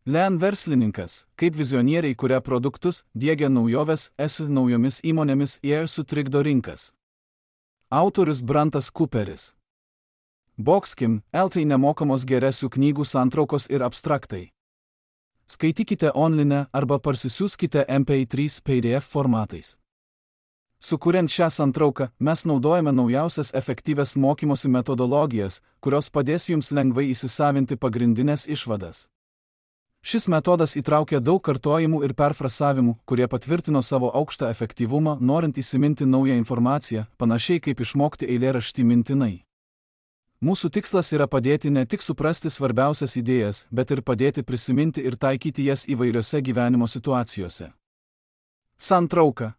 Lean verslininkas, kaip vizionieriai kuria produktus, diegia naujoves, naujomis įmonėmis ir sutrikdo rinkas. Autorius Brantas Cooperis. Boxkim, LT nemokamos geresių knygų santraukos ir abstraktai. Skaitykite online arba parsisiųskite MP3 PDF formatais. Sukuriant šią santrauką, mes naudojame naujausias efektyvias mokymosi metodologijas, kurios padės jums lengvai įsisavinti pagrindinės išvadas. Šis metodas įtraukia daug kartojimų ir perfrasavimų, kurie patvirtino savo aukštą efektyvumą, norint įsiminti naują informaciją, panašiai kaip išmokti eilėraštį mintinai. Mūsų tikslas yra padėti ne tik suprasti svarbiausias idėjas, bet ir padėti prisiminti ir taikyti jas įvairiose gyvenimo situacijose. Santrauka.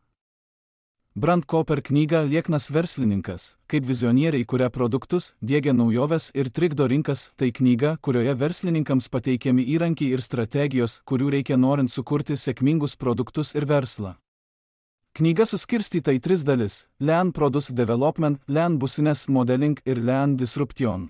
Brant Cooper knyga Lieknas verslininkas, kaip vizionieriai kuria produktus, diegia naujoves ir trikdo rinkas, tai knyga, kurioje verslininkams pateikiami įrankiai ir strategijos, kurių reikia norint sukurti sėkmingus produktus ir verslą. Knyga suskirstyta į 3 dalis – Lean Product Development, Lean Business Modeling ir Lean Disruption.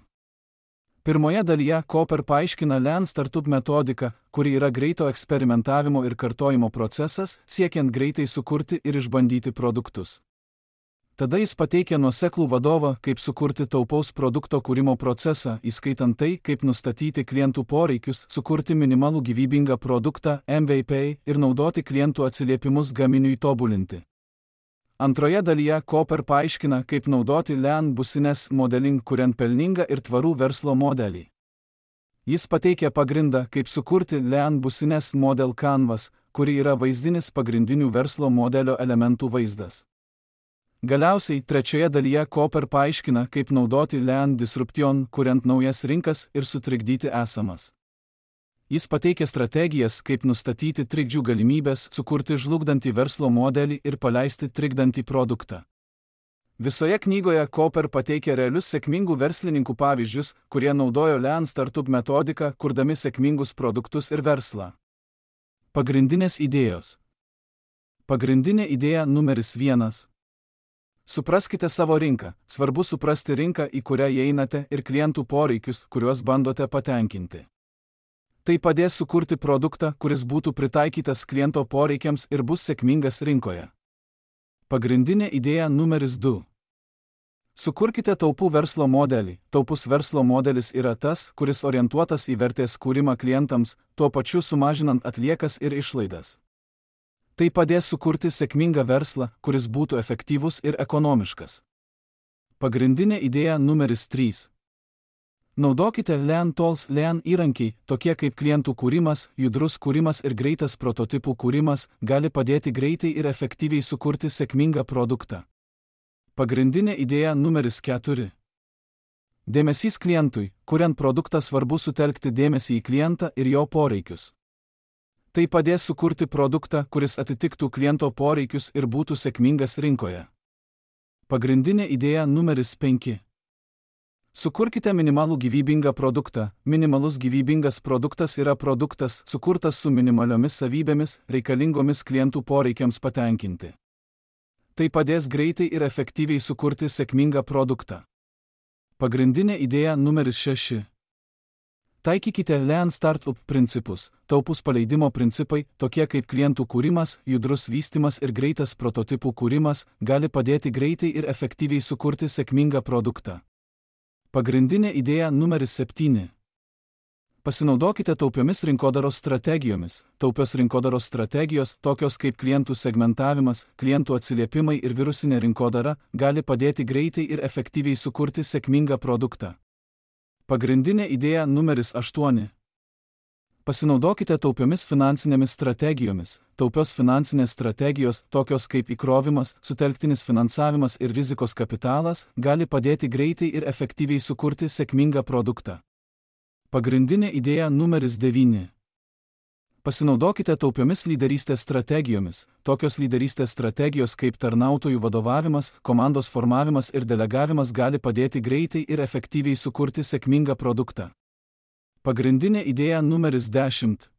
Pirmoje dalyje Cooper paaiškina Lean Startup metodiką, kuri yra greito eksperimentavimo ir kartojimo procesas, siekiant greitai sukurti ir išbandyti produktus. Tada jis pateikia nuoseklų vadovą, kaip sukurti taupaus produkto kūrimo procesą, įskaitant tai, kaip nustatyti klientų poreikius, sukurti minimalų gyvybingą produktą, MVP, ir naudoti klientų atsiliepimus gaminiui tobulinti. Antroje dalyje Cooper paaiškina, kaip naudoti Lean Business Modeling, kuriant pelningą ir tvarų verslo modelį. Jis pateikia pagrindą, kaip sukurti Lean Business Model Canvas, kuri yra vaizdinis pagrindinių verslo modelio elementų vaizdas. Galiausiai, trečioje dalyje Cooper paaiškina, kaip naudoti Lean Disruption, kuriant naujas rinkas ir sutrikdyti esamas. Jis pateikia strategijas, kaip nustatyti trikdžių galimybės, sukurti žlugdantį verslo modelį ir paleisti trikdantį produktą. Visoje knygoje Cooper pateikia realius sėkmingų verslininkų pavyzdžius, kurie naudojo Lean Startup metodiką, kurdami sėkmingus produktus ir verslą. Pagrindinės idėjos. Pagrindinė idėja numeris 1. Supraskite savo rinką. Svarbu suprasti rinką, į kurią įeinate, ir klientų poreikius, kuriuos bandote patenkinti. Tai padės sukurti produktą, kuris būtų pritaikytas kliento poreikiams ir bus sėkmingas rinkoje. Pagrindinė idėja numeris 2. Sukurkite taupų verslo modelį. Taupus verslo modelis yra tas, kuris orientuotas į vertės kūrimą klientams, tuo pačiu sumažinant atliekas ir išlaidas. Tai padės sukurti sėkmingą verslą, kuris būtų efektyvus ir ekonomiškas. Pagrindinė idėja numeris 3. Naudokite Lean Tools. Lean įrankiai, tokie kaip klientų kūrimas, judrus kūrimas ir greitas prototipų kūrimas, gali padėti greitai ir efektyviai sukurti sėkmingą produktą. Pagrindinė idėja numeris 4. Dėmesys klientui. Kuriant produktą svarbu sutelkti dėmesį į klientą ir jo poreikius. Tai padės sukurti produktą, kuris atitiktų kliento poreikius ir būtų sėkmingas rinkoje. Pagrindinė idėja numeris 5. Sukurkite minimalų gyvybingą produktą. Minimalus gyvybingas produktas yra produktas, sukurtas su minimaliomis savybėmis, reikalingomis klientų poreikiams patenkinti. Tai padės greitai ir efektyviai sukurti sėkmingą produktą. Pagrindinė idėja numeris 6. Taikykite Lean Startup principus. Taupus paleidimo principai, tokie kaip klientų kūrimas, judrus vystymas ir greitas prototipų kūrimas, gali padėti greitai ir efektyviai sukurti sėkmingą produktą. Pagrindinė idėja numeris 7. Pasinaudokite taupiomis rinkodaros strategijomis. Taupios rinkodaros strategijos, tokios kaip klientų segmentavimas, klientų atsiliepimai ir virusinė rinkodara, gali padėti greitai ir efektyviai sukurti sėkmingą produktą. Pagrindinė idėja numeris 8. Pasinaudokite taupiomis finansinėmis strategijomis. Taupios finansinės strategijos, tokios kaip įkrovimas, sutelktinis finansavimas ir rizikos kapitalas, gali padėti greitai ir efektyviai sukurti sėkmingą produktą. Pagrindinė idėja numeris 9. Pasinaudokite taupiomis lyderystės strategijomis. Tokios lyderystės strategijos kaip tarnautojų vadovavimas, komandos formavimas ir delegavimas gali padėti greitai ir efektyviai sukurti sėkmingą produktą. Pagrindinė idėja numeris 10.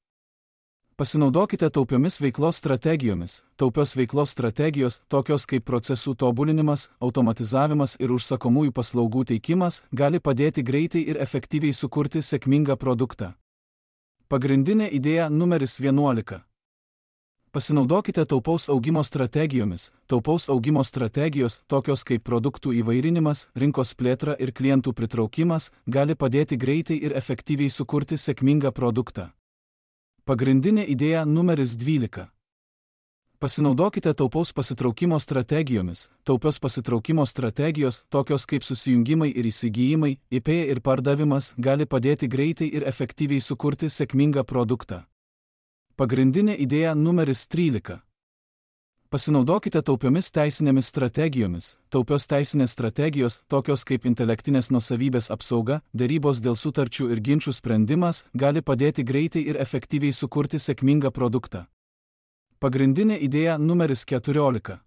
Pasinaudokite taupiomis veiklos strategijomis. Taupios veiklos strategijos, tokios kaip procesų tobulinimas, automatizavimas ir užsakomųjų paslaugų teikimas, gali padėti greitai ir efektyviai sukurti sėkmingą produktą. Pagrindinė idėja numeris 11. Pasinaudokite taupaus augimo strategijomis. Taupaus augimo strategijos, tokios kaip produktų įvairinimas, rinkos plėtra ir klientų pritraukimas, gali padėti greitai ir efektyviai sukurti sėkmingą produktą. Pagrindinė idėja numeris 12. Pasinaudokite taupaus pasitraukimo strategijomis. Taupios pasitraukimo strategijos, tokios kaip susijungimai ir įsigijimai, IP ir pardavimas, gali padėti greitai ir efektyviai sukurti sėkmingą produktą. Pagrindinė idėja numeris 13. Pasinaudokite taupiomis teisinėmis strategijomis. Taupios teisinės strategijos, tokios kaip intelektinės nuosavybės apsauga, derybos dėl sutarčių ir ginčių sprendimas, gali padėti greitai ir efektyviai sukurti sėkmingą produktą. Pagrindinė idėja numeris 14.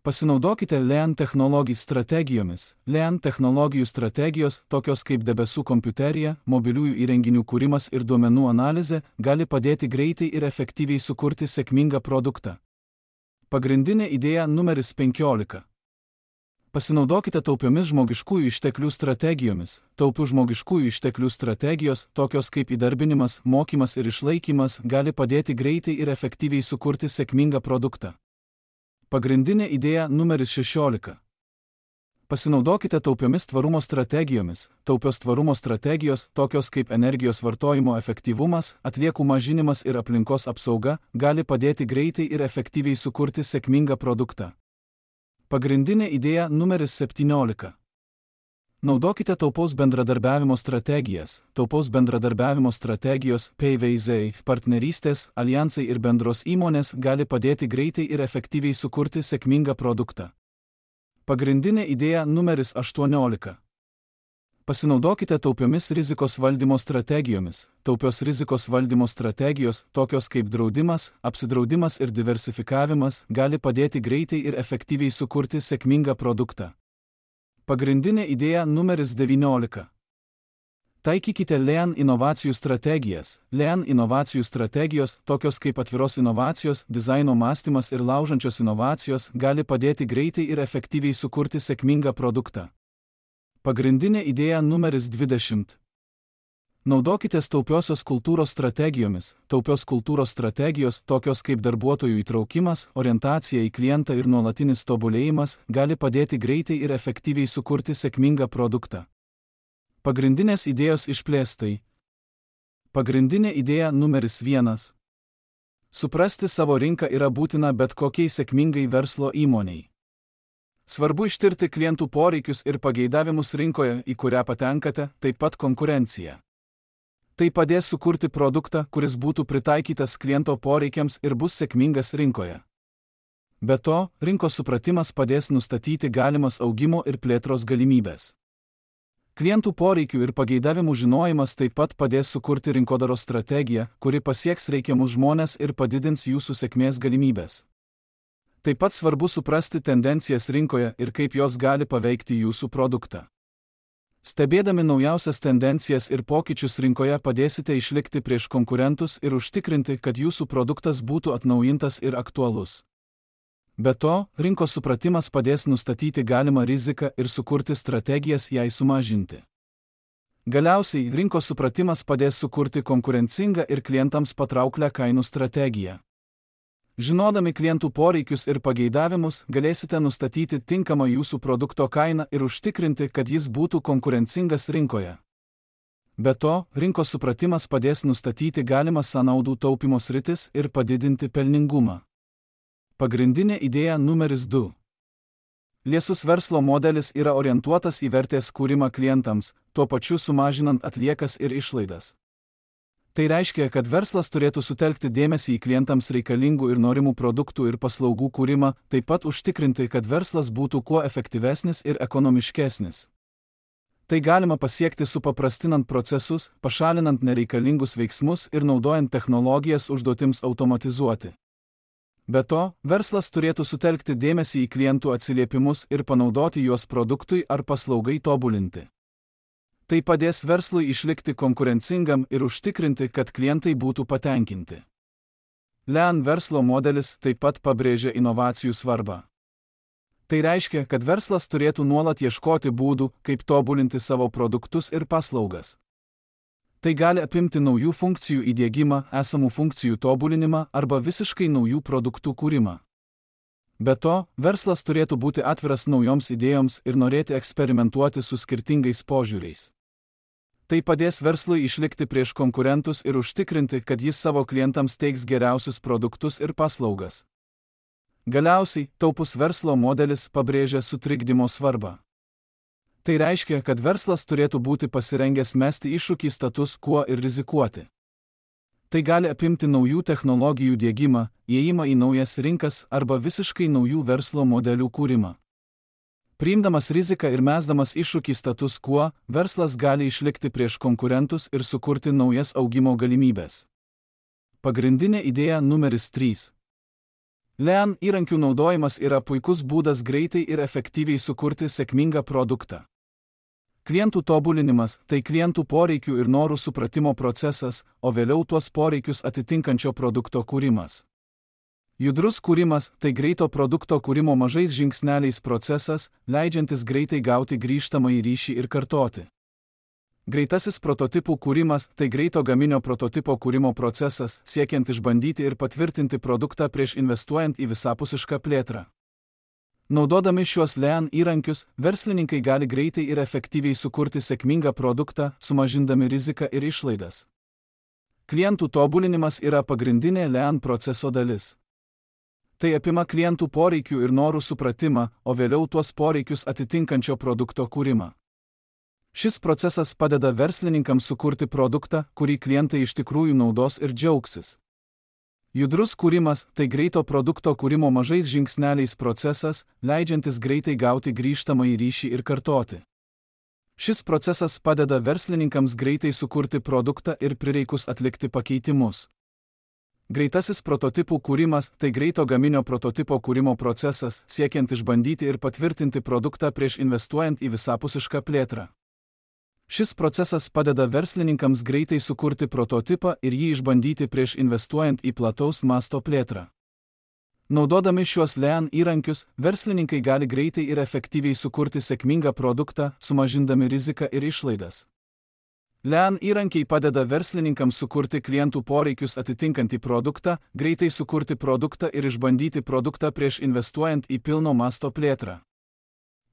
Pasinaudokite LEAN technologijų strategijomis. LEAN technologijų strategijos, tokios kaip debesų kompiuterija, mobiliųjų įrenginių kūrimas ir duomenų analizė, gali padėti greitai ir efektyviai sukurti sėkmingą produktą. Pagrindinė idėja numeris 15. Pasinaudokite taupiomis žmogiškųjų išteklių strategijomis. Taupių žmogiškųjų išteklių strategijos, tokios kaip įdarbinimas, mokymas ir išlaikymas, gali padėti greitai ir efektyviai sukurti sėkmingą produktą. Pagrindinė idėja numeris 16. Pasinaudokite taupiomis tvarumo strategijomis. Taupios tvarumo strategijos, tokios kaip energijos vartojimo efektyvumas, atliekų mažinimas ir aplinkos apsauga, gali padėti greitai ir efektyviai sukurti sėkmingą produktą. Pagrindinė idėja numeris 17. Naudokite taupaus bendradarbiavimo strategijas. Taupaus bendradarbiavimo strategijos, PVZ, partnerystės, alijansai ir bendros įmonės gali padėti greitai ir efektyviai sukurti sėkmingą produktą. Pagrindinė idėja numeris 18. Pasinaudokite taupiomis rizikos valdymo strategijomis. Taupios rizikos valdymo strategijos, tokios kaip draudimas, apsidraudimas ir diversifikavimas, gali padėti greitai ir efektyviai sukurti sėkmingą produktą. Pagrindinė idėja numeris 19. Taikykite LEAN inovacijų strategijas. LEAN inovacijų strategijos, tokios kaip atviros inovacijos, dizaino mąstymas ir laužančios inovacijos, gali padėti greitai ir efektyviai sukurti sėkmingą produktą. Pagrindinė idėja numeris 20. Naudokitės taupiosios kultūros strategijomis. Taupios kultūros strategijos, tokios kaip darbuotojų įtraukimas, orientacija į klientą ir nuolatinis tobulėjimas, gali padėti greitai ir efektyviai sukurti sėkmingą produktą. Pagrindinės idėjos išplėstai. Pagrindinė idėja numeris 1. Suprasti savo rinką yra būtina bet kokiai sėkmingai verslo įmoniai. Svarbu ištirti klientų poreikius ir pageidavimus rinkoje, į kurią patenkate, taip pat konkurenciją. Tai padės sukurti produktą, kuris būtų pritaikytas kliento poreikiams ir bus sėkmingas rinkoje. Be to, rinkos supratimas padės nustatyti galimas augimo ir plėtros galimybės. Klientų poreikių ir pageidavimų žinojimas taip pat padės sukurti rinkodaros strategiją, kuri pasieks reikiamus žmones ir padidins jūsų sėkmės galimybės. Taip pat svarbu suprasti tendencijas rinkoje ir kaip jos gali paveikti jūsų produktą. Stebėdami naujausias tendencijas ir pokyčius rinkoje padėsite išlikti prieš konkurentus ir užtikrinti, kad jūsų produktas būtų atnaujintas ir aktualus. Be to, rinkos supratimas padės nustatyti galimą riziką ir sukurti strategijas jai sumažinti. Galiausiai, rinkos supratimas padės sukurti konkurencingą ir klientams patrauklią kainų strategiją. Žinodami klientų poreikius ir pageidavimus, galėsite nustatyti tinkamą jūsų produkto kainą ir užtikrinti, kad jis būtų konkurencingas rinkoje. Be to, rinkos supratimas padės nustatyti galimas sąnaudų taupymo sritis ir padidinti pelningumą. Pagrindinė idėja numeris 2. Liesus verslo modelis yra orientuotas į vertės kūrimą klientams, tuo pačiu sumažinant atliekas ir išlaidas. Tai reiškia, kad verslas turėtų sutelkti dėmesį į klientams reikalingų ir norimų produktų ir paslaugų kūrimą, taip pat užtikrinti, kad verslas būtų kuo efektyvesnis ir ekonomiškesnis. Tai galima pasiekti supaprastinant procesus, pašalinant nereikalingus veiksmus ir naudojant technologijas užduotims automatizuoti. Be to, verslas turėtų sutelkti dėmesį į klientų atsiliepimus ir panaudoti juos produktui ar paslaugai tobulinti. Tai padės verslui išlikti konkurencingam ir užtikrinti, kad klientai būtų patenkinti. LEAN verslo modelis taip pat pabrėžia inovacijų svarbą. Tai reiškia, kad verslas turėtų nuolat ieškoti būdų, kaip tobulinti savo produktus ir paslaugas. Tai gali apimti naujų funkcijų įdiegimą, esamų funkcijų tobulinimą arba visiškai naujų produktų kūrimą. Be to, verslas turėtų būti atviras naujoms idėjoms ir norėti eksperimentuoti su skirtingais požiūriais. Tai padės verslui išlikti prieš konkurentus ir užtikrinti, kad jis savo klientams teiks geriausius produktus ir paslaugas. Galiausiai, taupus verslo modelis pabrėžia sutrikdymo svarbą. Tai reiškia, kad verslas turėtų būti pasirengęs mesti iššūkį status quo ir rizikuoti. Tai gali apimti naujų technologijų diegimą, įėjimą į naujas rinkas arba visiškai naujų verslo modelių kūrimą. Priimdamas riziką ir mesdamas iššūkį status quo, verslas gali išlikti prieš konkurentus ir sukurti naujas augimo galimybės. Pagrindinė idėja numeris 3. Lean įrankių naudojimas yra puikus būdas greitai ir efektyviai sukurti sėkmingą produktą. Klientų tobulinimas – tai klientų poreikių ir norų supratimo procesas, o vėliau tuos poreikius atitinkančio produkto kūrimas. Judrus kūrimas – tai greito produkto kūrimo mažais žingsneliais procesas, leidžiantis greitai gauti grįžtamąjį ryšį ir kartoti. Greitasis prototipų kūrimas – tai greito gaminio prototipo kūrimo procesas, siekiant išbandyti ir patvirtinti produktą prieš investuojant į visapusišką plėtrą. Naudodami šiuos Lean įrankius, verslininkai gali greitai ir efektyviai sukurti sėkmingą produktą, sumažindami riziką ir išlaidas. Klientų tobulinimas yra pagrindinė Lean proceso dalis. Tai apima klientų poreikių ir norų supratimą, o vėliau tuos poreikius atitinkančio produkto kūrimą. Šis procesas padeda verslininkams sukurti produktą, kurį klientai iš tikrųjų naudos ir džiaugsis. Judrus kūrimas – tai greito produkto kūrimo mažais žingsneliais procesas, leidžiantis greitai gauti grįžtamąjį ryšį ir kartoti. Šis procesas padeda verslininkams greitai sukurti produktą ir prireikus atlikti pakeitimus. Greitasis prototipų kūrimas – tai greito gaminio prototipo kūrimo procesas, siekiant išbandyti ir patvirtinti produktą prieš investuojant į visapusišką plėtrą. Šis procesas padeda verslininkams greitai sukurti prototipą ir jį išbandyti prieš investuojant į plataus masto plėtrą. Naudodami šiuos Lean įrankius, verslininkai gali greitai ir efektyviai sukurti sėkmingą produktą, sumažindami riziką ir išlaidas. Lean įrankiai padeda verslininkams sukurti klientų poreikius atitinkantį produktą, greitai sukurti produktą ir išbandyti produktą prieš investuojant į pilno masto plėtrą.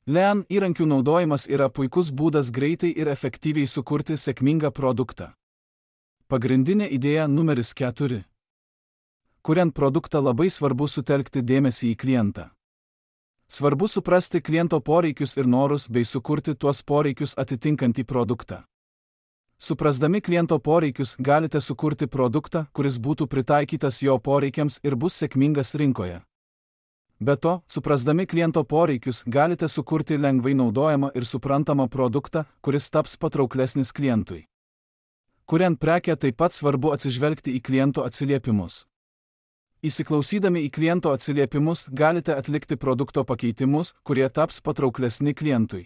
Lean įrankių naudojimas yra puikus būdas greitai ir efektyviai sukurti sėkmingą produktą. Pagrindinė idėja numeris 4. Kuriant produktą labai svarbu sutelkti dėmesį į klientą. Svarbu suprasti kliento poreikius ir norus bei sukurti tuos poreikius atitinkantį produktą. Suprasdami kliento poreikius galite sukurti produktą, kuris būtų pritaikytas jo poreikiams ir bus sėkmingas rinkoje. Be to, suprasdami kliento poreikius, galite sukurti lengvai naudojamą ir suprantamą produktą, kuris taps patrauklesnis klientui. Kuriant prekę taip pat svarbu atsižvelgti į kliento atsiliepimus. Įsiklausydami į kliento atsiliepimus, galite atlikti produkto pakeitimus, kurie taps patrauklesni klientui.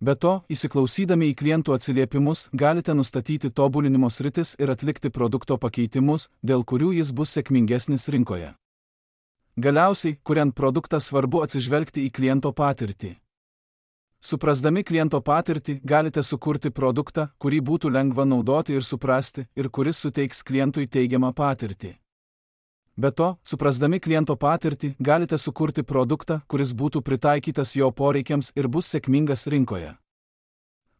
Be to, įsiklausydami į klientų atsiliepimus, galite nustatyti tobulinimo sritis ir atlikti produkto pakeitimus, dėl kurių jis bus sėkmingesnis rinkoje. Galiausiai, kuriant produktą svarbu atsižvelgti į kliento patirtį. Suprasdami kliento patirtį, galite sukurti produktą, kurį būtų lengva naudoti ir suprasti, ir kuris suteiks klientui teigiamą patirtį. Be to, suprasdami kliento patirtį, galite sukurti produktą, kuris būtų pritaikytas jo poreikiams ir bus sėkmingas rinkoje.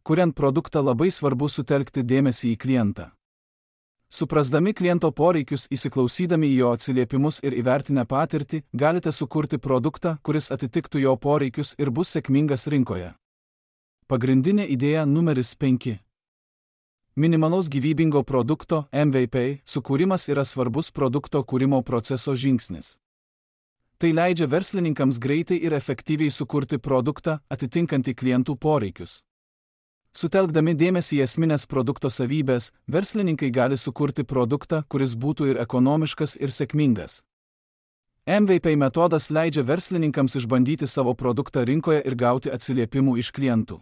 Kuriant produktą labai svarbu sutelkti dėmesį į klientą. Suprasdami kliento poreikius, įsiklausydami į jo atsiliepimus ir įvertinę patirtį, galite sukurti produktą, kuris atitiktų jo poreikius ir bus sėkmingas rinkoje. Pagrindinė idėja numeris 5. Minimalaus gyvybingo produkto MVP sukūrimas yra svarbus produkto kūrimo proceso žingsnis. Tai leidžia verslininkams greitai ir efektyviai sukurti produktą, atitinkantį klientų poreikius. Sutelkdami dėmesį į esminės produkto savybės, verslininkai gali sukurti produktą, kuris būtų ir ekonomiškas, ir sėkmingas. MVP metodas leidžia verslininkams išbandyti savo produktą rinkoje ir gauti atsiliepimų iš klientų.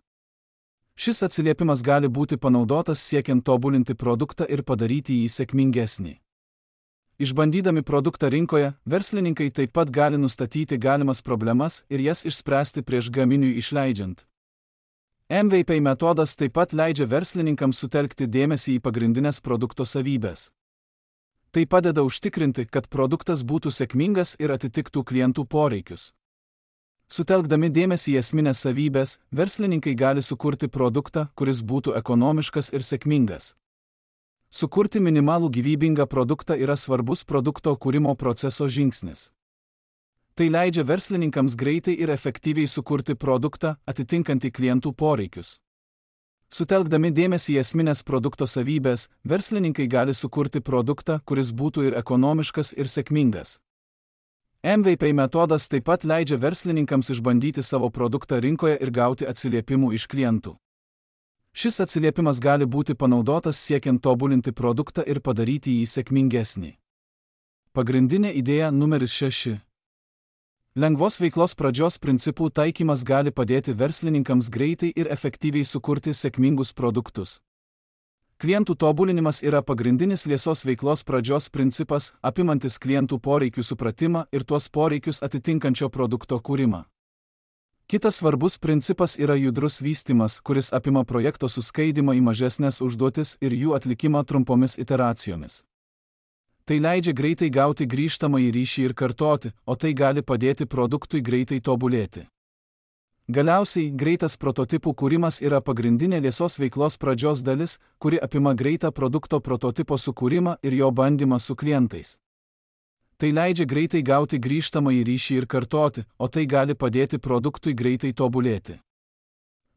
Šis atsiliepimas gali būti panaudotas siekiant tobulinti produktą ir padaryti jį sėkmingesnį. Išbandydami produktą rinkoje, verslininkai taip pat gali nustatyti galimas problemas ir jas išspręsti prieš gaminiui išleidžiant. MVP metodas taip pat leidžia verslininkams sutelkti dėmesį į pagrindinės produkto savybės. Tai padeda užtikrinti, kad produktas būtų sėkmingas ir atitiktų klientų poreikius. Sutelkdami dėmesį į esminės savybės, verslininkai gali sukurti produktą, kuris būtų ekonomiškas ir sėkmingas. Sukurti minimalų gyvybingą produktą yra svarbus produkto kūrimo proceso žingsnis. Tai leidžia verslininkams greitai ir efektyviai sukurti produktą, atitinkantį klientų poreikius. Sutelkdami dėmesį į esminės produkto savybės, verslininkai gali sukurti produktą, kuris būtų ir ekonomiškas, ir sėkmingas. MVP metodas taip pat leidžia verslininkams išbandyti savo produktą rinkoje ir gauti atsiliepimų iš klientų. Šis atsiliepimas gali būti panaudotas siekiant tobulinti produktą ir padaryti jį sėkmingesnį. Pagrindinė idėja numeris 6. Lengvos veiklos pradžios principų taikymas gali padėti verslininkams greitai ir efektyviai sukurti sėkmingus produktus. Klientų tobulinimas yra pagrindinis liesos veiklos pradžios principas, apimantis klientų poreikių supratimą ir tuos poreikius atitinkančio produkto kūrimą. Kitas svarbus principas yra judrus vystymas, kuris apima projekto suskaidymą į mažesnės užduotis ir jų atlikimą trumpomis iteracijomis. Tai leidžia greitai gauti grįžtamąjį ryšį ir kartoti, o tai gali padėti produktui greitai tobulėti. Galiausiai, greitas prototipų kūrimas yra pagrindinė liesos veiklos pradžios dalis, kuri apima greitą produkto prototipo sukūrimą ir jo bandymą su klientais. Tai leidžia greitai gauti grįžtamąjį ryšį ir kartoti, o tai gali padėti produktui greitai tobulėti.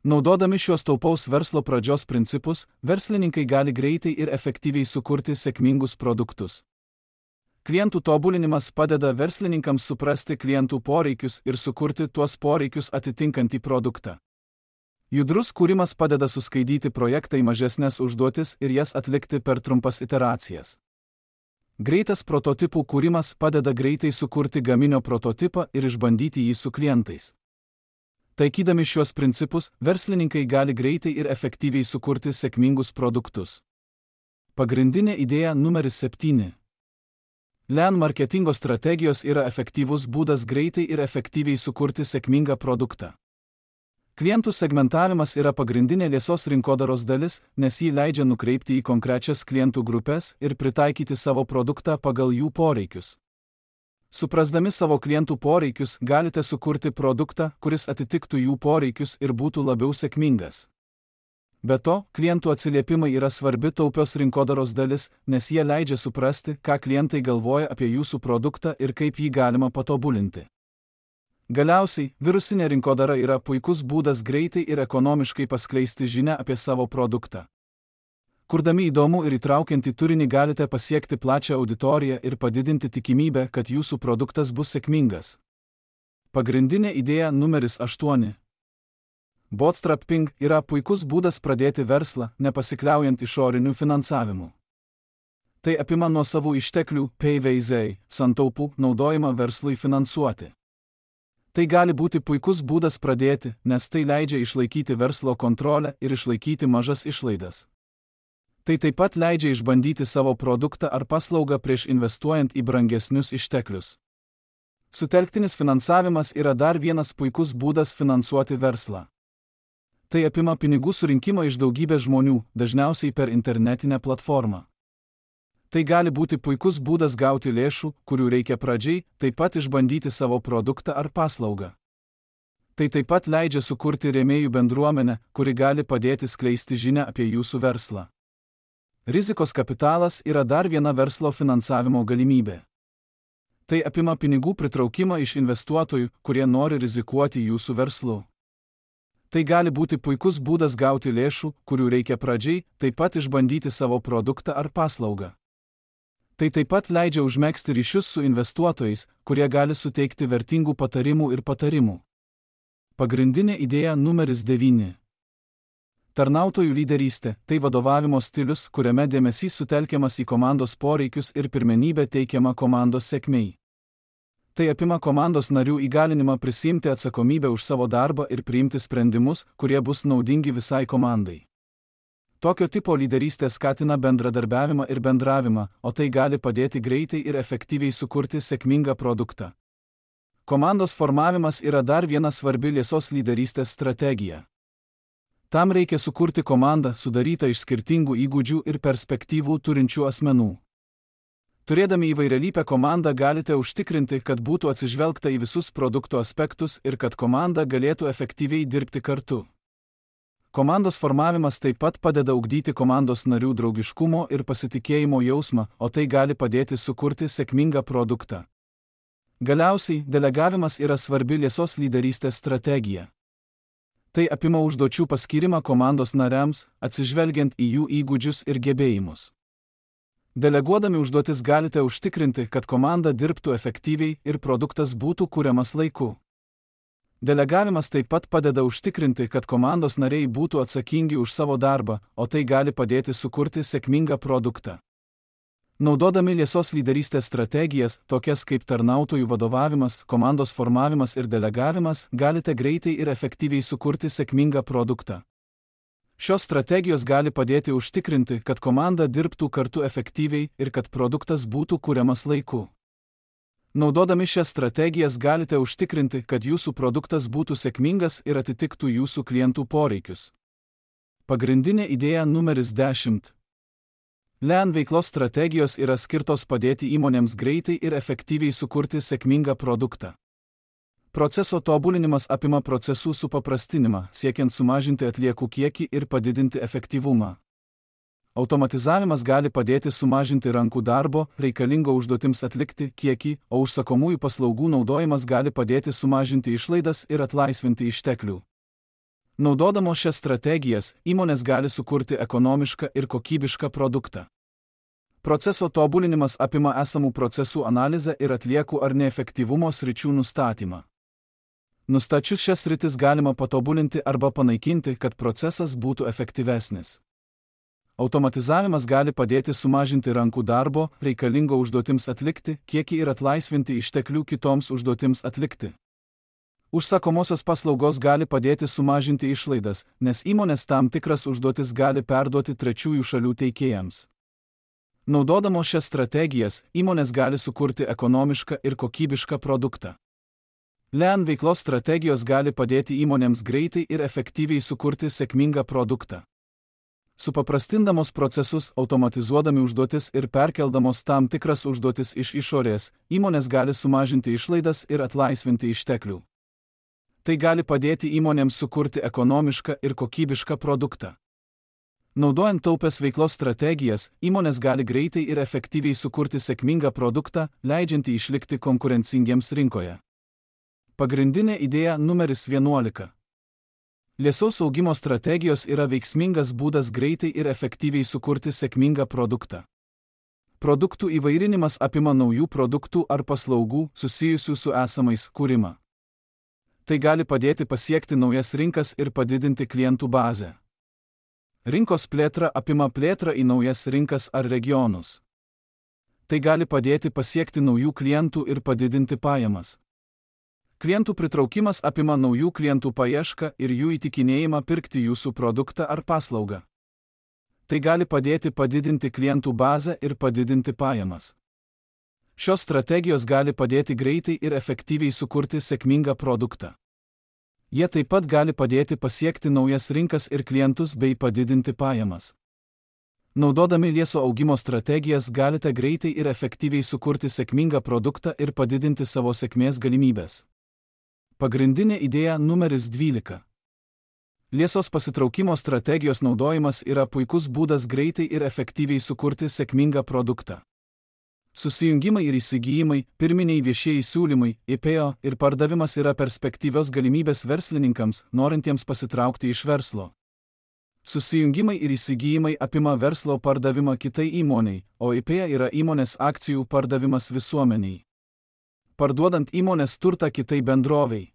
Naudodami šios taupaus verslo pradžios principus, verslininkai gali greitai ir efektyviai sukurti sėkmingus produktus. Klientų tobulinimas padeda verslininkams suprasti klientų poreikius ir sukurti tuos poreikius atitinkantį produktą. Judrus kūrimas padeda suskaidyti projektą į mažesnės užduotis ir jas atlikti per trumpas iteracijas. Greitas prototipų kūrimas padeda greitai sukurti gaminio prototipą ir išbandyti jį su klientais. Taikydami šiuos principus, verslininkai gali greitai ir efektyviai sukurti sėkmingus produktus. Pagrindinė idėja numeris 7. Lean marketingo strategijos yra efektyvus būdas greitai ir efektyviai sukurti sėkmingą produktą. Klientų segmentavimas yra pagrindinė liesos rinkodaros dalis, nes jį leidžia nukreipti į konkrečias klientų grupės ir pritaikyti savo produktą pagal jų poreikius. Suprasdami savo klientų poreikius, galite sukurti produktą, kuris atitiktų jų poreikius ir būtų labiau sėkmingas. Be to, klientų atsiliepimai yra svarbi taupios rinkodaros dalis, nes jie leidžia suprasti, ką klientai galvoja apie jūsų produktą ir kaip jį galima patobulinti. Galiausiai, virusinė rinkodara yra puikus būdas greitai ir ekonomiškai paskleisti žinią apie savo produktą. Kurdami įdomų ir įtraukiantį turinį galite pasiekti plačią auditoriją ir padidinti tikimybę, kad jūsų produktas bus sėkmingas. Pagrindinė idėja numeris 8. Bootstrapping yra puikus būdas pradėti verslą, nepasikliaujant išoriniu finansavimu. Tai apima nuosavų išteklių PVZ santaupų naudojimą verslui finansuoti. Tai gali būti puikus būdas pradėti, nes tai leidžia išlaikyti verslo kontrolę ir išlaikyti mažas išlaidas. Tai taip pat leidžia išbandyti savo produktą ar paslaugą prieš investuojant į brangesnius išteklius. Sutelktinis finansavimas yra dar vienas puikus būdas finansuoti verslą. Tai apima pinigų surinkimą iš daugybės žmonių, dažniausiai per internetinę platformą. Tai gali būti puikus būdas gauti lėšų, kurių reikia pradžiai, taip pat išbandyti savo produktą ar paslaugą. Tai taip pat leidžia sukurti rėmėjų bendruomenę, kuri gali padėti skleisti žinią apie jūsų verslą. Rizikos kapitalas yra dar viena verslo finansavimo galimybė. Tai apima pinigų pritraukimą iš investuotojų, kurie nori rizikuoti jūsų verslu. Tai gali būti puikus būdas gauti lėšų, kurių reikia pradžiai, taip pat išbandyti savo produktą ar paslaugą. Tai taip pat leidžia užmegzti ryšius su investuotojais, kurie gali suteikti vertingų patarimų ir patarimų. Pagrindinė idėja numeris 9. Tarnautojų lyderystė – tai vadovavimo stilius, kuriame dėmesys sutelkiamas į komandos poreikius ir pirmenybė teikiama komandos sėkmei. Tai apima komandos narių įgalinimą prisiimti atsakomybę už savo darbą ir priimti sprendimus, kurie bus naudingi visai komandai. Tokio tipo lyderystė skatina bendradarbiavimą ir bendravimą, o tai gali padėti greitai ir efektyviai sukurti sėkmingą produktą. Komandos formavimas yra dar viena svarbi liesos lyderystės strategija. Tam reikia sukurti komandą sudarytą iš skirtingų įgūdžių ir perspektyvų turinčių asmenų. Turėdami įvairialypę komandą galite užtikrinti, kad būtų atsižvelgta į visus produkto aspektus ir kad komanda galėtų efektyviai dirbti kartu. Komandos formavimas taip pat padeda ugdyti komandos narių draugiškumo ir pasitikėjimo jausmą, o tai gali padėti sukurti sėkmingą produktą. Galiausiai, delegavimas yra svarbi liesos lyderystės strategija. Tai apima užduočių paskyrimą komandos nariams, atsižvelgiant į jų įgūdžius ir gebėjimus. Deleguodami užduotis galite užtikrinti, kad komanda dirbtų efektyviai ir produktas būtų kuriamas laiku. Delegavimas taip pat padeda užtikrinti, kad komandos nariai būtų atsakingi už savo darbą, o tai gali padėti sukurti sėkmingą produktą. Naudodami liesos lyderystės strategijas, tokias kaip tarnautojų vadovavimas, komandos formavimas ir delegavimas, galite greitai ir efektyviai sukurti sėkmingą produktą. Šios strategijos gali padėti užtikrinti, kad komanda dirbtų kartu efektyviai ir kad produktas būtų kuriamas laiku. Naudodami šias strategijas galite užtikrinti, kad jūsų produktas būtų sėkmingas ir atitiktų jūsų klientų poreikius. Pagrindinė idėja numeris 10. Lean veiklos strategijos yra skirtos padėti įmonėms greitai ir efektyviai sukurti sėkmingą produktą. Proceso tobulinimas apima procesų supaprastinimą, siekiant sumažinti atliekų kiekį ir padidinti efektyvumą. Automatizavimas gali padėti sumažinti rankų darbo, reikalingo užduotims atlikti, kiekį, o užsakomųjų paslaugų naudojimas gali padėti sumažinti išlaidas ir atlaisvinti išteklių. Naudodamos šias strategijas, įmonės gali sukurti ekonomišką ir kokybišką produktą. Proceso tobulinimas apima esamų procesų analizę ir atliekų ar neefektyvumo sričių nustatymą. Nustačius šias sritis galima patobulinti arba panaikinti, kad procesas būtų efektyvesnis. Automatizavimas gali padėti sumažinti rankų darbo, reikalingo užduotims atlikti, kiekį ir atlaisvinti išteklių kitoms užduotims atlikti. Užsakomosios paslaugos gali padėti sumažinti išlaidas, nes įmonės tam tikras užduotis gali perduoti trečiųjų šalių teikėjams. Naudodamos šias strategijas, įmonės gali sukurti ekonomišką ir kokybišką produktą. Lean veiklos strategijos gali padėti įmonėms greitai ir efektyviai sukurti sėkmingą produktą. Supaprastindamos procesus, automatizuodami užduotis ir perkeldamos tam tikras užduotis iš išorės, įmonės gali sumažinti išlaidas ir atlaisvinti išteklių. Tai gali padėti įmonėms sukurti ekonomišką ir kokybišką produktą. Naudojant taupės veiklos strategijas, įmonės gali greitai ir efektyviai sukurti sėkmingą produktą, leidžiantį išlikti konkurencingiems rinkoje. Pagrindinė idėja numeris 11. Liesaus augimo strategijos yra veiksmingas būdas greitai ir efektyviai sukurti sėkmingą produktą. Produktų įvairinimas apima naujų produktų ar paslaugų susijusių su esamais kūrimą. Tai gali padėti pasiekti naujas rinkas ir padidinti klientų bazę. Rinkos plėtra apima plėtrą į naujas rinkas ar regionus. Tai gali padėti pasiekti naujų klientų ir padidinti pajamas. Klientų pritraukimas apima naujų klientų paiešką ir jų įtikinėjimą pirkti jūsų produktą ar paslaugą. Tai gali padėti padidinti klientų bazę ir padidinti pajamas. Šios strategijos gali padėti greitai ir efektyviai sukurti sėkmingą produktą. Jie taip pat gali padėti pasiekti naujas rinkas ir klientus bei padidinti pajamas. Naudodami lieso augimo strategijas galite greitai ir efektyviai sukurti sėkmingą produktą ir padidinti savo sėkmės galimybės. Pagrindinė idėja numeris 12. Liesos pasitraukimo strategijos naudojimas yra puikus būdas greitai ir efektyviai sukurti sėkmingą produktą. Susijungimai ir įsigijimai, pirminiai viešieji siūlymai, IPO ir pardavimas yra perspektyvios galimybės verslininkams, norintiems pasitraukti iš verslo. Susijungimai ir įsigijimai apima verslo pardavimą kitai įmoniai, o IPO yra įmonės akcijų pardavimas visuomeniai. Parduodant įmonės turtą kitai bendrovei.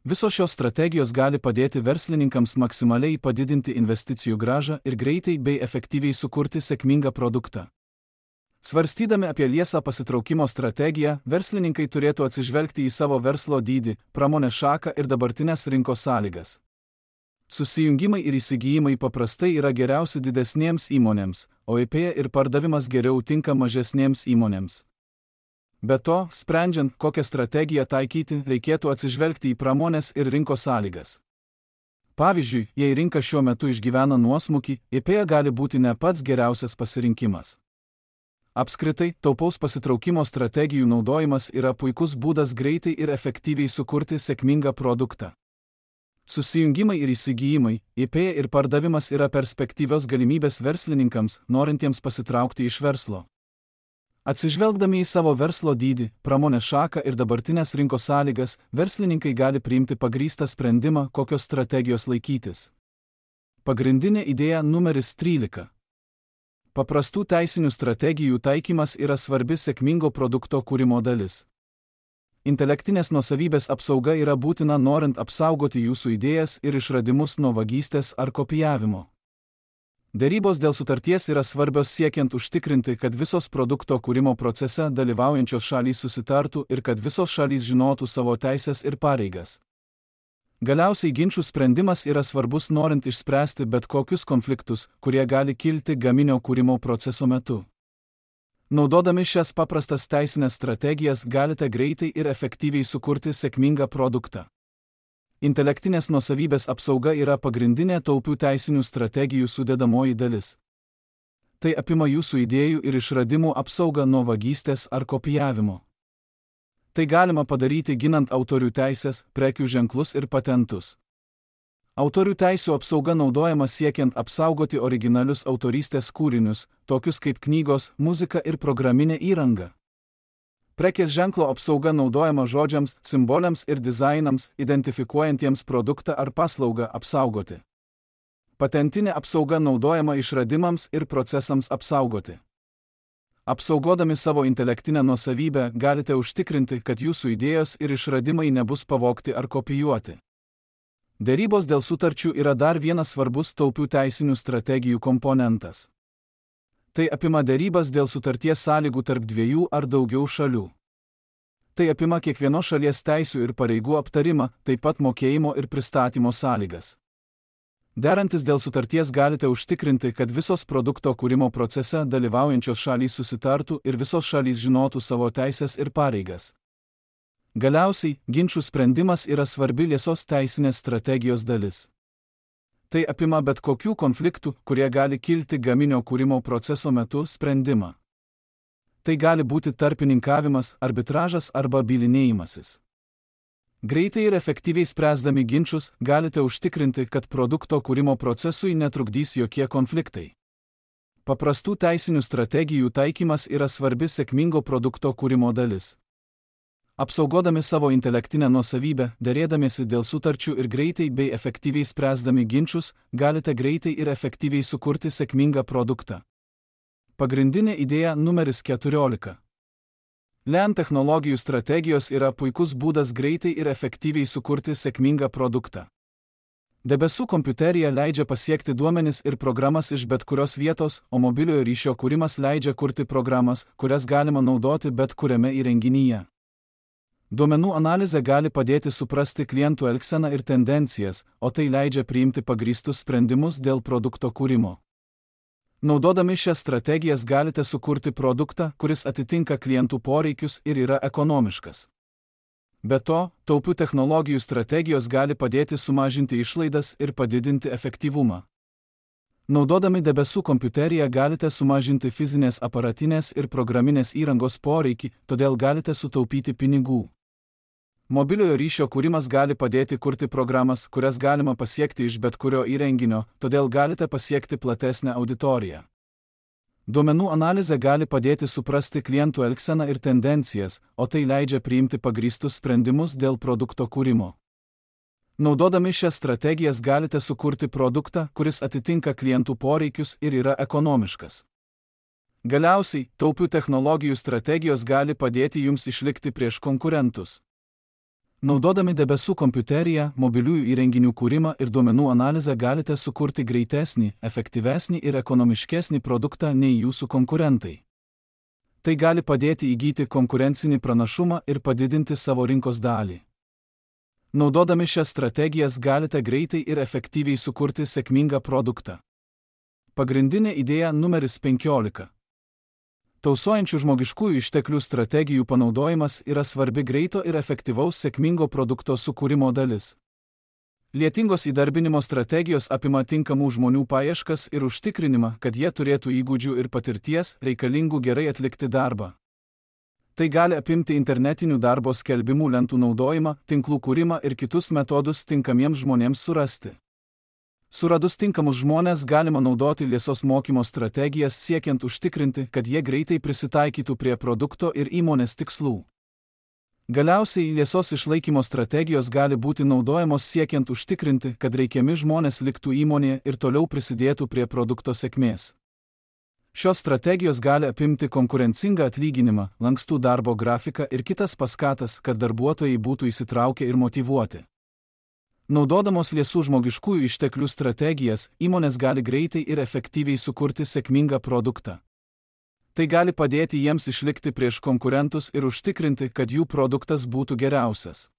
Visos šios strategijos gali padėti verslininkams maksimaliai padidinti investicijų grąžą ir greitai bei efektyviai sukurti sėkmingą produktą. Svarstydami apie liesą pasitraukimo strategiją, verslininkai turėtų atsižvelgti į savo verslo dydį, pramonės šaką ir dabartinės rinkos sąlygas. Susijungimai ir įsigijimai paprastai yra geriausi didesnėms įmonėms, o IPO ir pardavimas geriau tinka mažesnėms įmonėms. Be to, sprendžiant, kokią strategiją taikyti, reikėtų atsižvelgti į pramonės ir rinkos sąlygas. Pavyzdžiui, jei rinka šiuo metu išgyvena nuosmukį, IPA gali būti ne pats geriausias pasirinkimas. Apskritai, taupaus pasitraukimo strategijų naudojimas yra puikus būdas greitai ir efektyviai sukurti sėkmingą produktą. Susijungimai ir įsigijimai, IPA ir pardavimas yra perspektyvios galimybės verslininkams, norintiems pasitraukti iš verslo. Atsižvelgdami į savo verslo dydį, pramonės šaką ir dabartinės rinkos sąlygas, verslininkai gali priimti pagrįstą sprendimą, kokios strategijos laikytis. Pagrindinė idėja numeris 13. Paprastų teisinių strategijų taikymas yra svarbi sėkmingo produkto kūrimo dalis. Intelektinės nuosavybės apsauga yra būtina norint apsaugoti jūsų idėjas ir išradimus nuo vagystės ar kopijavimo. Derybos dėl sutarties yra svarbios siekiant užtikrinti, kad visos produkto kūrimo procese dalyvaujančios šalys susitartų ir kad visos šalys žinotų savo teisės ir pareigas. Galiausiai ginčų sprendimas yra svarbus norint išspręsti bet kokius konfliktus, kurie gali kilti gaminio kūrimo proceso metu. Naudodami šias paprastas teisinės strategijas galite greitai ir efektyviai sukurti sėkmingą produktą. Intelektinės nuosavybės apsauga yra pagrindinė taupių teisinių strategijų sudedamoji dalis. Tai apima jūsų idėjų ir išradimų apsaugą nuo vagystės ar kopijavimo. Tai galima padaryti ginant autorių teisės, prekių ženklus ir patentus. Autorių teisių apsauga naudojama siekiant apsaugoti originalius autorystės kūrinius, tokius kaip knygos, muzika ir programinė įranga. Prekės ženklo apsauga naudojama žodžiams, simboliams ir dizainams, identifikuojantiems produktą ar paslaugą apsaugoti. Patentinė apsauga naudojama išradimams ir procesams apsaugoti. Apsaugodami savo intelektinę nuosavybę galite užtikrinti, kad jūsų idėjos ir išradimai nebus pavogti ar kopijuoti. Derybos dėl sutarčių yra dar vienas svarbus taupių teisinių strategijų komponentas. Tai apima derybas dėl sutarties sąlygų tarp dviejų ar daugiau šalių. Tai apima kiekvienos šalies teisių ir pareigų aptarimą, taip pat mokėjimo ir pristatymo sąlygas. Derantis dėl sutarties galite užtikrinti, kad visos produkto kūrimo procese dalyvaujančios šalys susitartų ir visos šalys žinotų savo teisės ir pareigas. Galiausiai, ginčų sprendimas yra svarbi liesos teisinės strategijos dalis. Tai apima bet kokių konfliktų, kurie gali kilti gaminio kūrimo proceso metu sprendimą. Tai gali būti tarpininkavimas, arbitražas arba bylinėjimasis. Greitai ir efektyviai spręsdami ginčus galite užtikrinti, kad produkto kūrimo procesui netrukdys jokie konfliktai. Paprastų teisinių strategijų taikymas yra svarbi sėkmingo produkto kūrimo dalis. Apsaugodami savo intelektinę nuosavybę, derėdamiesi dėl sutarčių ir greitai bei efektyviai spręsdami ginčus, galite greitai ir efektyviai sukurti sėkmingą produktą. Pagrindinė idėja numeris 14. LAN technologijų strategijos yra puikus būdas greitai ir efektyviai sukurti sėkmingą produktą. Debesų kompiuterija leidžia pasiekti duomenis ir programas iš bet kurios vietos, o mobiliojo ryšio kūrimas leidžia kurti programas, kurias galima naudoti bet kuriame įrenginyje. Duomenų analizė gali padėti suprasti klientų elgseną ir tendencijas, o tai leidžia priimti pagrįstus sprendimus dėl produkto kūrimo. Naudodami šias strategijas galite sukurti produktą, kuris atitinka klientų poreikius ir yra ekonomiškas. Be to, taupių technologijų strategijos gali padėti sumažinti išlaidas ir padidinti efektyvumą. Naudodami debesų kompiuteriją galite sumažinti fizinės aparatinės ir programinės įrangos poreikį, todėl galite sutaupyti pinigų. Mobiliojo ryšio kūrimas gali padėti kurti programas, kurias galima pasiekti iš bet kurio įrenginio, todėl galite pasiekti platesnę auditoriją. Duomenų analizė gali padėti suprasti klientų elgseną ir tendencijas, o tai leidžia priimti pagrįstus sprendimus dėl produkto kūrimo. Naudodami šias strategijas galite sukurti produktą, kuris atitinka klientų poreikius ir yra ekonomiškas. Galiausiai, taupių technologijų strategijos gali padėti jums išlikti prieš konkurentus. Naudodami debesų kompiuteriją, mobiliųjų įrenginių kūrimą ir duomenų analizę galite sukurti greitesnį, efektyvesnį ir ekonomiškesnį produktą nei jūsų konkurentai. Tai gali padėti įgyti konkurencinį pranašumą ir padidinti savo rinkos dalį. Naudodami šias strategijas galite greitai ir efektyviai sukurti sėkmingą produktą. Pagrindinė idėja numeris 15. Tausojančių žmogiškųjų išteklių strategijų panaudojimas yra svarbi greito ir efektyvaus sėkmingo produkto sukūrimo dalis. Lietingos įdarbinimo strategijos apima tinkamų žmonių paieškas ir užtikrinimą, kad jie turėtų įgūdžių ir patirties reikalingų gerai atlikti darbą. Tai gali apimti internetinių darbo skelbimų lentų naudojimą, tinklų kūrimą ir kitus metodus tinkamiems žmonėms surasti. Suradus tinkamus žmonės galima naudoti liesos mokymo strategijas siekiant užtikrinti, kad jie greitai prisitaikytų prie produkto ir įmonės tikslų. Galiausiai liesos išlaikymo strategijos gali būti naudojamos siekiant užtikrinti, kad reikiami žmonės liktų įmonėje ir toliau prisidėtų prie produkto sėkmės. Šios strategijos gali apimti konkurencingą atlyginimą, lankstų darbo grafiką ir kitas paskatas, kad darbuotojai būtų įsitraukę ir motyvuoti. Naudodamos liesų žmogiškųjų išteklių strategijas, įmonės gali greitai ir efektyviai sukurti sėkmingą produktą. Tai gali padėti jiems išlikti prieš konkurentus ir užtikrinti, kad jų produktas būtų geriausias.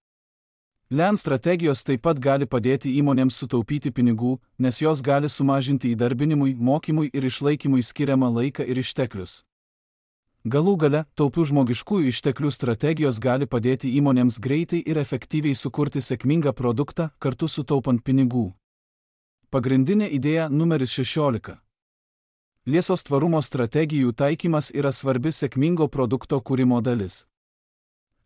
Lean strategijos taip pat gali padėti įmonėms sutaupyti pinigų, nes jos gali sumažinti įdarbinimui, mokymui ir išlaikymui skiriamą laiką ir išteklius. Galų gale, taupių žmogiškųjų išteklių strategijos gali padėti įmonėms greitai ir efektyviai sukurti sėkmingą produktą, kartu sutaupant pinigų. Pagrindinė idėja numeris 16. Liesos tvarumo strategijų taikymas yra svarbi sėkmingo produkto kūrimo dalis.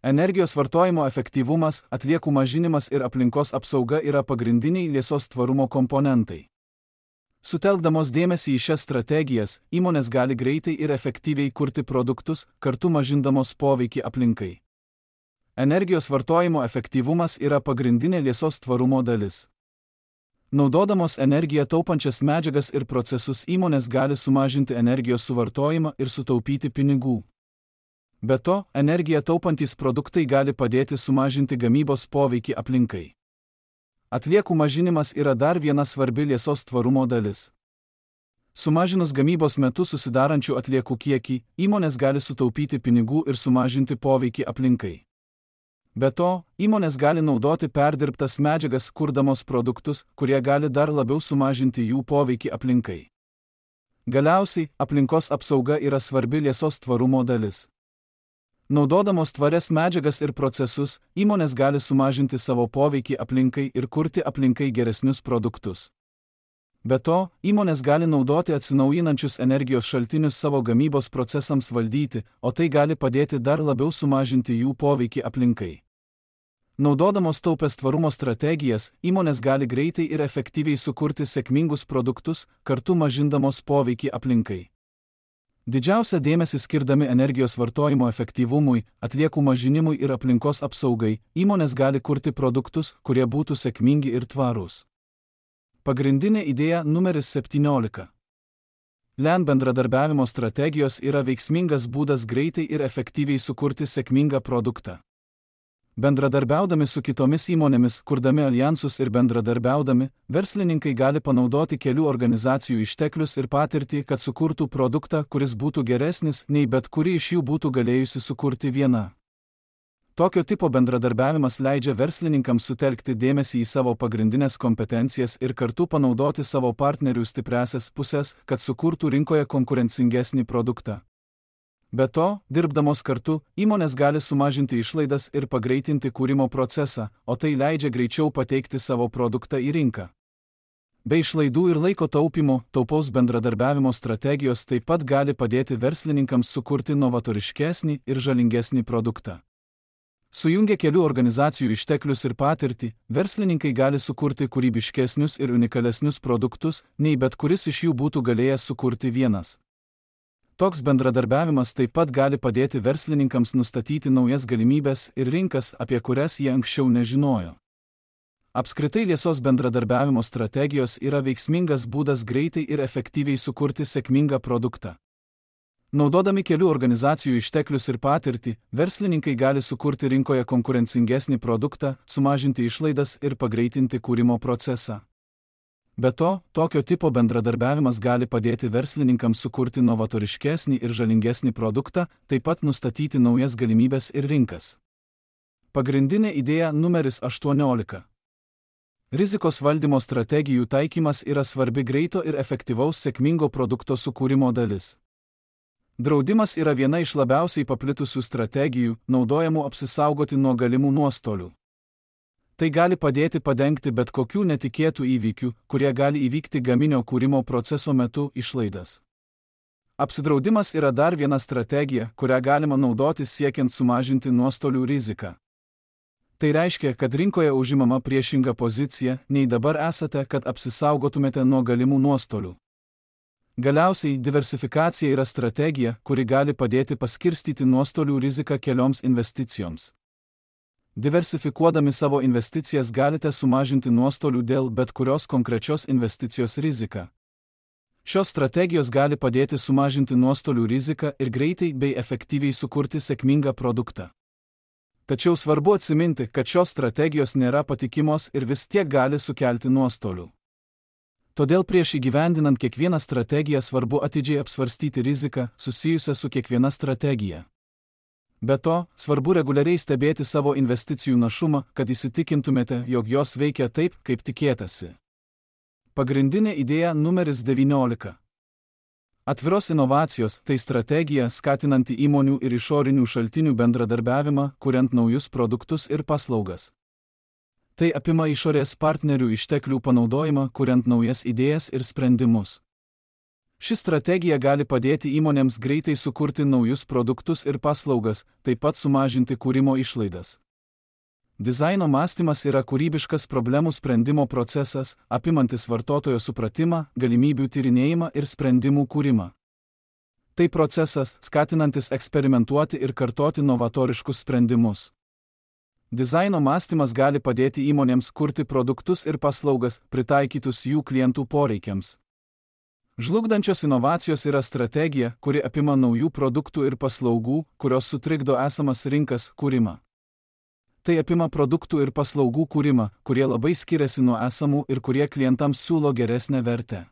Energijos vartojimo efektyvumas, atliekų mažinimas ir aplinkos apsauga yra pagrindiniai liesos tvarumo komponentai. Sutelkdamos dėmesį į šias strategijas, įmonės gali greitai ir efektyviai kurti produktus, kartu mažindamos poveikį aplinkai. Energijos vartojimo efektyvumas yra pagrindinė liesos tvarumo dalis. Naudodamos energiją taupančias medžiagas ir procesus įmonės gali sumažinti energijos suvartojimą ir sutaupyti pinigų. Be to, energiją taupantys produktai gali padėti sumažinti gamybos poveikį aplinkai. Atliekų mažinimas yra dar viena svarbi liesos tvarumo dalis. Sumažinus gamybos metu susidarančių atliekų kiekį, įmonės gali sutaupyti pinigų ir sumažinti poveikį aplinkai. Be to, įmonės gali naudoti perdirbtas medžiagas kurdamos produktus, kurie gali dar labiau sumažinti jų poveikį aplinkai. Galiausiai, aplinkos apsauga yra svarbi liesos tvarumo dalis. Naudodamos tvarias medžiagas ir procesus, įmonės gali sumažinti savo poveikį aplinkai ir kurti aplinkai geresnius produktus. Be to, įmonės gali naudoti atsinaujinančius energijos šaltinius savo gamybos procesams valdyti, o tai gali padėti dar labiau sumažinti jų poveikį aplinkai. Naudodamos taupias tvarumo strategijas, įmonės gali greitai ir efektyviai sukurti sėkmingus produktus, kartu mažindamos poveikį aplinkai. Didžiausią dėmesį skirdami energijos vartojimo efektyvumui, atliekų mažinimui ir aplinkos apsaugai, įmonės gali kurti produktus, kurie būtų sėkmingi ir tvarūs. Pagrindinė idėja numeris 17. Lean bendradarbiavimo strategijos yra veiksmingas būdas greitai ir efektyviai sukurti sėkmingą produktą. Bendradarbiaudami su kitomis įmonėmis, kurdami alijansus ir bendradarbiaudami, verslininkai gali panaudoti kelių organizacijų išteklius ir patirtį, kad sukurtų produktą, kuris būtų geresnis, nei bet kuri iš jų būtų galėjusi sukurti viena. Tokio tipo bendradarbiavimas leidžia verslininkams sutelkti dėmesį į savo pagrindinės kompetencijas ir kartu panaudoti savo partnerių stipriąsias pusės, kad sukurtų rinkoje konkurencingesnį produktą. Be to, dirbdamos kartu, įmonės gali sumažinti išlaidas ir pagreitinti kūrimo procesą, o tai leidžia greičiau pateikti savo produktą į rinką. Be išlaidų ir laiko taupimo, taupaus bendradarbiavimo strategijos taip pat gali padėti verslininkams sukurti novatoriškesnį ir žalingesnį produktą. Sujungę kelių organizacijų išteklius ir patirtį, verslininkai gali sukurti kūrybiškesnius ir unikalesnius produktus, nei bet kuris iš jų būtų galėjęs sukurti vienas. Toks bendradarbiavimas taip pat gali padėti verslininkams nustatyti naujas galimybes ir rinkas, apie kurias jie anksčiau nežinojo. Apskritai liesos bendradarbiavimo strategijos yra veiksmingas būdas greitai ir efektyviai sukurti sėkmingą produktą. Naudodami kelių organizacijų išteklius ir patirtį, verslininkai gali sukurti rinkoje konkurencingesnį produktą, sumažinti išlaidas ir pagreitinti kūrimo procesą. Be to, tokio tipo bendradarbiavimas gali padėti verslininkams sukurti novatoriškesnį ir žalingesnį produktą, taip pat nustatyti naujas galimybes ir rinkas. Pagrindinė idėja numeris 18. Rizikos valdymo strategijų taikymas yra svarbi greito ir efektyvaus sėkmingo produkto sukūrimo dalis. Draudimas yra viena iš labiausiai paplitusių strategijų, naudojamų apsisaugoti nuo galimų nuostolių. Tai gali padėti padengti bet kokių netikėtų įvykių, kurie gali įvykti gaminio kūrimo proceso metu, išlaidas. Apsidraudimas yra dar viena strategija, kurią galima naudoti siekiant sumažinti nuostolių riziką. Tai reiškia, kad rinkoje užimama priešinga pozicija, nei dabar esate, kad apsisaugotumėte nuo galimų nuostolių. Galiausiai, diversifikacija yra strategija, kuri gali padėti paskirstyti nuostolių riziką kelioms investicijoms. Diversifikuodami savo investicijas galite sumažinti nuostolių dėl bet kurios konkrečios investicijos riziką. Šios strategijos gali padėti sumažinti nuostolių riziką ir greitai bei efektyviai sukurti sėkmingą produktą. Tačiau svarbu atsiminti, kad šios strategijos nėra patikimos ir vis tiek gali sukelti nuostolių. Todėl prieš įgyvendinant kiekvieną strategiją svarbu atidžiai apsvarstyti riziką susijusią su kiekviena strategija. Be to, svarbu reguliariai stebėti savo investicijų našumą, kad įsitikintumėte, jog jos veikia taip, kaip tikėtasi. Pagrindinė idėja numeris 19. Atviros inovacijos – tai strategija skatinanti įmonių ir išorinių šaltinių bendradarbiavimą, kuriant naujus produktus ir paslaugas. Tai apima išorės partnerių išteklių panaudojimą, kuriant naujas idėjas ir sprendimus. Ši strategija gali padėti įmonėms greitai sukurti naujus produktus ir paslaugas, taip pat sumažinti kūrimo išlaidas. Dizaino mąstymas yra kūrybiškas problemų sprendimo procesas, apimantis vartotojo supratimą, galimybių tyrinėjimą ir sprendimų kūrimą. Tai procesas, skatinantis eksperimentuoti ir kartoti novatoriškus sprendimus. Dizaino mąstymas gali padėti įmonėms kurti produktus ir paslaugas, pritaikytus jų klientų poreikiams. Žlugdančios inovacijos yra strategija, kuri apima naujų produktų ir paslaugų, kurios sutrikdo esamas rinkas kūrimą. Tai apima produktų ir paslaugų kūrimą, kurie labai skiriasi nuo esamų ir kurie klientams siūlo geresnę vertę.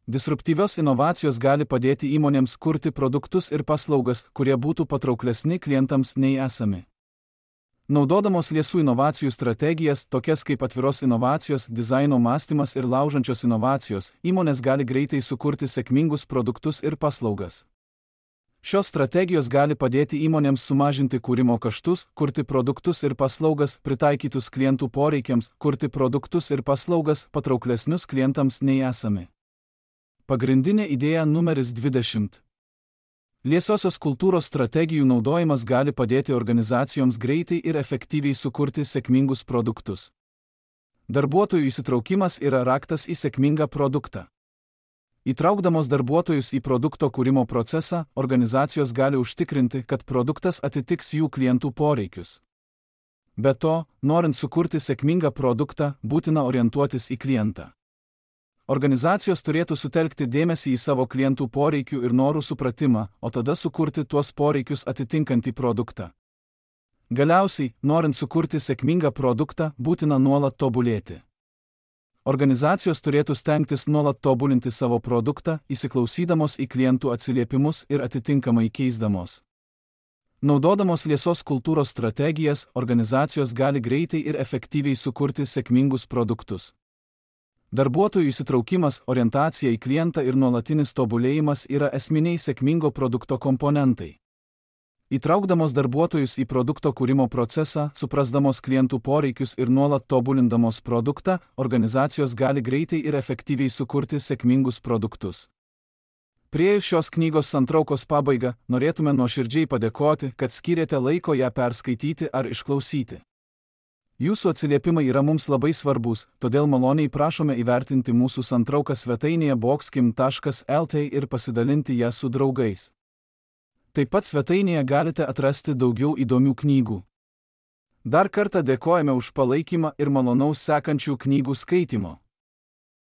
Disruptyvios inovacijos gali padėti įmonėms kurti produktus ir paslaugas, kurie būtų patrauklesni klientams nei esami. Naudodamos liesų inovacijų strategijas, tokias kaip atviros inovacijos, dizaino mąstymas ir laužančios inovacijos, įmonės gali greitai sukurti sėkmingus produktus ir paslaugas. Šios strategijos gali padėti įmonėms sumažinti kūrimo kaštus, kurti produktus ir paslaugas, pritaikytus klientų poreikiams, kurti produktus ir paslaugas, patrauklesnius klientams nei esami. Pagrindinė idėja numeris 20. Liesiosios kultūros strategijų naudojimas gali padėti organizacijoms greitai ir efektyviai sukurti sėkmingus produktus. Darbuotojų įsitraukimas yra raktas į sėkmingą produktą. Įtraukdamos darbuotojus į produkto kūrimo procesą, organizacijos gali užtikrinti, kad produktas atitiks jų klientų poreikius. Be to, norint sukurti sėkmingą produktą, būtina orientuotis į klientą. Organizacijos turėtų sutelkti dėmesį į savo klientų poreikių ir norų supratimą, o tada sukurti tuos poreikius atitinkantį produktą. Galiausiai, norint sukurti sėkmingą produktą, būtina nuolat tobulėti. Organizacijos turėtų stengtis nuolat tobulinti savo produktą, įsiklausydamos į klientų atsiliepimus ir atitinkamai keisdamos. Naudodamos liesos kultūros strategijas, organizacijos gali greitai ir efektyviai sukurti sėkmingus produktus. Darbuotojų įsitraukimas, orientacija į klientą ir nuolatinis tobulėjimas yra esminiai sėkmingo produkto komponentai. Įtraukdamos darbuotojus į produkto kūrimo procesą, suprasdamos klientų poreikius ir nuolat tobulindamos produktą, organizacijos gali greitai ir efektyviai sukurti sėkmingus produktus. Priėjus šios knygos santraukos pabaigą, norėtume nuoširdžiai padėkoti, kad skyrėte laiko ją perskaityti ar išklausyti. Jūsų atsiliepimai yra mums labai svarbus, todėl maloniai prašome įvertinti mūsų santrauką svetainėje boxkim.lt ir pasidalinti ją su draugais. Taip pat svetainėje galite atrasti daugiau įdomių knygų. Dar kartą dėkojame už palaikymą ir malonaus sekančių knygų skaitimo.